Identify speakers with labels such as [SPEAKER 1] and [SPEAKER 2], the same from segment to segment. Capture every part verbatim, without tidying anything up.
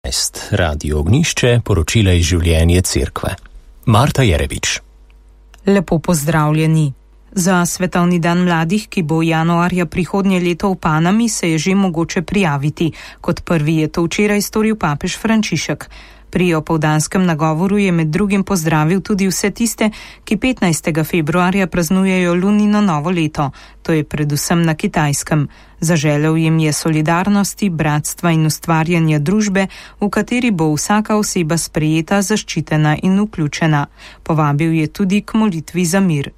[SPEAKER 1] dvanajst, Radio Ognišče, poročila iz življenja cerkve. Marta Jerevič.
[SPEAKER 2] Lepo pozdravljeni. Za Svetovni dan mladih, ki bo januarja prihodnje leto v Panami, se je že mogoče prijaviti. Kot prvi je to včeraj storil papež Frančišek. Pri opoldanskem nagovoru je med drugim pozdravil tudi vse tiste, ki petnajstega februarja praznujejo lunino novo leto. To je predvsem na Kitajskem. Zaželel jim je solidarnosti, bratstva in ustvarjanja družbe, v kateri bo vsaka oseba sprejeta, zaščitena in vključena. Povabil je tudi k molitvi za mir.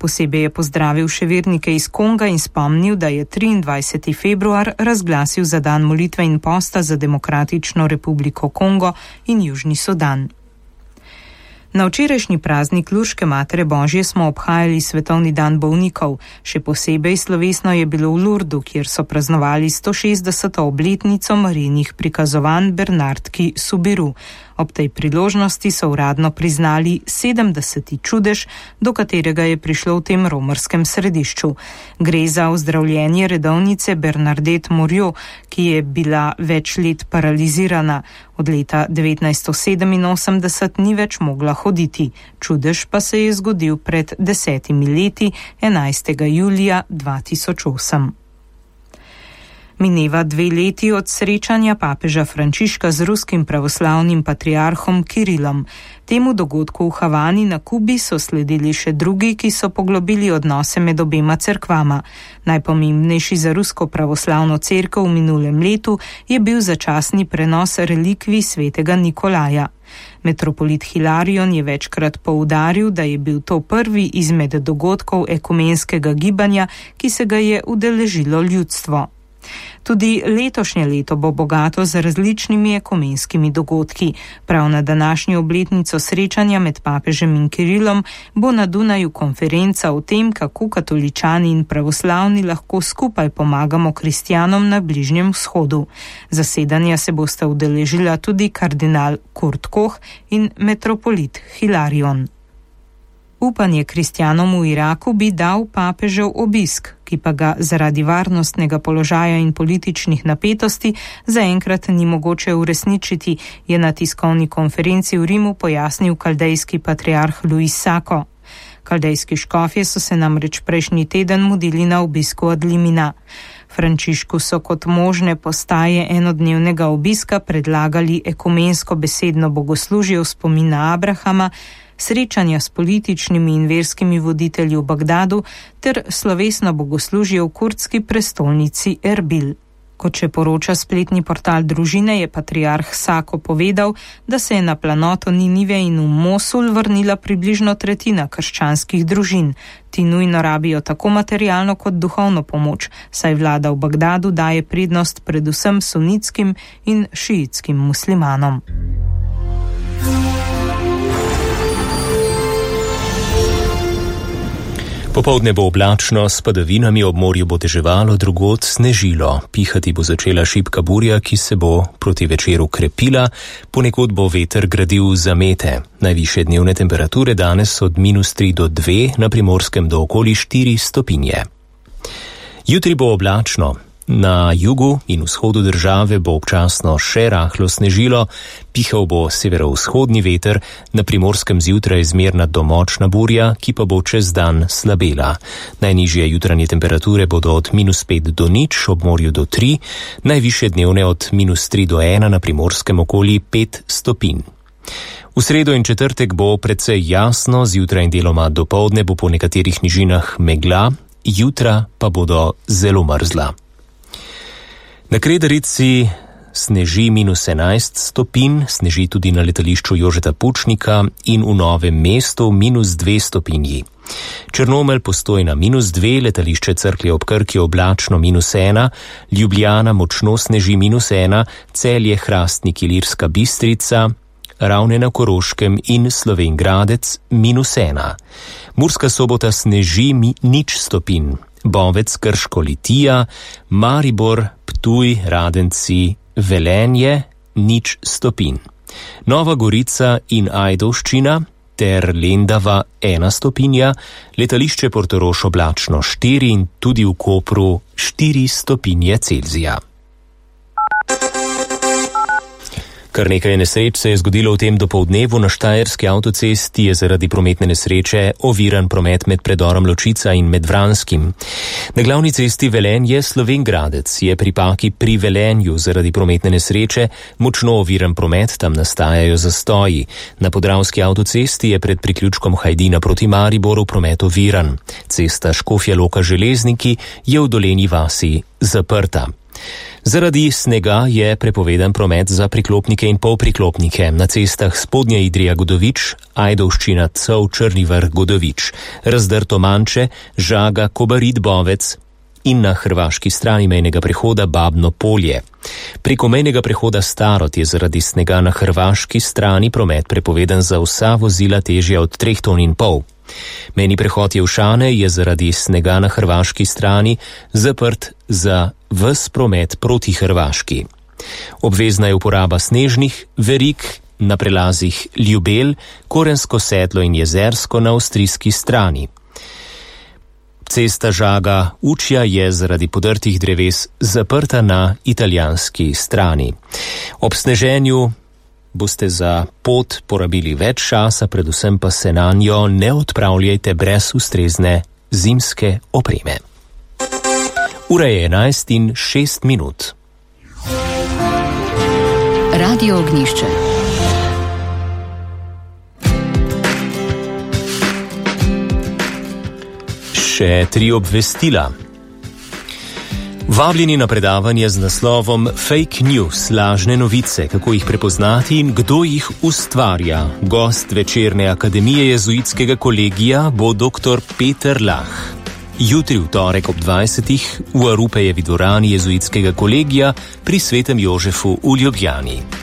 [SPEAKER 2] Posebej je pozdravil še vernike iz Konga in spomnil, da je triindvajseti februar razglasil za dan molitve in posta za Demokratično republiko Kongo in Južni Sudan. Na včerajšnji praznik Lurške Matere Božje smo obhajali Svetovni dan bolnikov. Še posebej slovesno je bilo v Lurdu, kjer so praznovali sto šestdeseto obletnico Marijinih prikazovanj Bernardki Subiru. Ob tej priložnosti so uradno priznali sedemdeseti čudež, do katerega je prišlo v tem romarskem središču. Gre za ozdravljenje redovnice Bernadette Mouriot, ki je bila več let paralizirana. Od leta devetnajststo sedeminosemdeset ni več mogla hoditi. Čudež pa se je zgodil pred desetimi leti, enajstega julija dva tisoč osem. Mineva dve leti od srečanja papeža Frančiška z ruskim pravoslavnim patriarhom Kirilom. Temu dogodku v Havani na Kubi so sledili še drugi, ki so poglobili odnose med obema cerkvama. Najpomembnejši za rusko pravoslavno cerkev v minulem letu je bil začasni prenos relikvij svetega Nikolaja. Metropolit Hilarion je večkrat poudaril, da je bil to prvi izmed dogodkov ekumenskega gibanja, ki se ga je udeležilo ljudstvo. Tudi letošnje leto bo bogato z različnimi ekumenskimi dogodki. Prav na današnjo obletnico srečanja med papežem in Kirilom bo na Dunaju konferenca o tem, kako katoličani in pravoslavni lahko skupaj pomagamo kristjanom na Bližnjem vzhodu. Zasedanja se bosta udeležila tudi kardinal Kurt Koch in metropolit Hilarion. Upanje kristjanom v Iraku bi dal papežev obisk, ki pa ga zaradi varnostnega položaja in političnih napetosti zaenkrat ni mogoče uresničiti, je na tiskovni konferenci v Rimu pojasnil kaldejski patriarh Luis Sako. Kaldejski škofje so se namreč prejšnji teden mudili na obisku od Limina. Frančišku so kot možne postaje enodnevnega obiska predlagali ekumensko besedno bogoslužje v spomin na Abrahama, srečanja s političnimi in verskimi voditelji v Bagdadu ter slovesno bogoslužje v kurdski prestolnici Erbil. Kot še poroča spletni portal družine, je patriarh Sako povedal, da se je na planoto Ninive in v Mosul vrnila približno tretjina krščanskih družin. Ti nujno rabijo tako materialno kot duhovno pomoč, saj vlada v Bagdadu daje prednost predvsem sunitskim in šiitskim muslimanom.
[SPEAKER 1] Popoldne bo oblačno, s padavinami, ob morju bo deževalo, drugod snežilo. Pihati bo začela šibka burja, ki se bo proti večeru krepila, ponekod bo veter gradil zamete. Najvišje dnevne temperature danes od minus tri do dve, na Primorskem do okoli štiri stopinje. Jutri bo oblačno. Na jugu in vzhodu države bo občasno še rahlo snežilo, pihal bo severovzhodni veter, na Primorskem zjutraj zmerna do močna burja, ki pa bo čez dan slabela. Najnižje jutranje temperature bodo od minus pet do nič, ob morju do tri, najvišje dnevne od minus tri do ena, na Primorskem okoli pet stopinj. V sredo in četrtek bo precej jasno, zjutraj in deloma dopoldne bo po nekaterih nižinah megla, jutra pa bodo zelo mrzla. Na Kredarici sneži minus enajst stopinj, sneži tudi na letališču Jožeta Pučnika in v Novem mestu minus dve stopinji. Črnomelj, Postojna minus dve, letališče Cerklje ob Krki oblačno minus ena, Ljubljana močno sneži minus ena, Celje, Hrastnik, Ilirska Bistrica, Ravne na Koroškem in Slovenj Gradec minus ena. Murska Sobota sneži mi nič stopinj. Bovec, Krško, Litija, Maribor, Ptuj, Radenci, Velenje, nič stopinj. Nova Gorica in Ajdovščina ter Lendava ena stopinja, letališče Portorož oblačno štiri in tudi v Kopru štiri stopinje Celzija. Kar nekaj nesreč se je zgodilo v tem dopoldnevu. Na štajerski avtocesti je zaradi prometne nesreče oviran promet med predorom Ločica in med Vranskim. Na glavni cesti Velenje-Slovenj Gradec je pri Paki pri Velenju zaradi prometne nesreče močno oviran promet, tam nastajajo zastoji. Na podravski avtocesti je pred priključkom Hajdina proti Mariboru promet oviran. Cesta Škofja Loka-Železniki je v Dolenji vasi zaprta. Zaradi snega je prepovedan promet za priklopnike in polpriklopnike na cestah Spodnja Idrija-Godovič, Ajdovščina Cov Črni Vrh-Godovič, Razdrto Manče, Žaga, Kobarid Bovec in na hrvaški strani mejnega prehoda Babno Polje. Preko mejnega prehoda Starod je zaradi snega na hrvaški strani promet prepovedan za vsa vozila težja od treh ton in pol. Mejni prehod Jevšane je zaradi snega na hrvaški strani zaprt za ves promet proti Hrvaški. Obvezna je uporaba snežnih verig na prelazih Ljubelj, Korensko Sedlo in Jezersko na avstrijski strani. Cesta Žaga Učja je zaradi podrtih dreves zaprta na italijanski strani. Ob sneženju boste za pot porabili več časa, predvsem pa se nanjo ne odpravljajte brez ustrezne zimske opreme. Ura je enajst in šest minut.
[SPEAKER 3] Radio Ognjišče.
[SPEAKER 1] Še tri obvestila. Vabljeni na predavanje z naslovom Fake News, lažne novice, kako jih prepoznati in kdo jih ustvarja. Gost večerne akademije jezuitskega kolegija bo doktor Peter Lah. Jutri v torek ob dvajsetih v Arupejevi dvorani jezuitskega kolegija pri Svetem Jožefu v Ljubljani.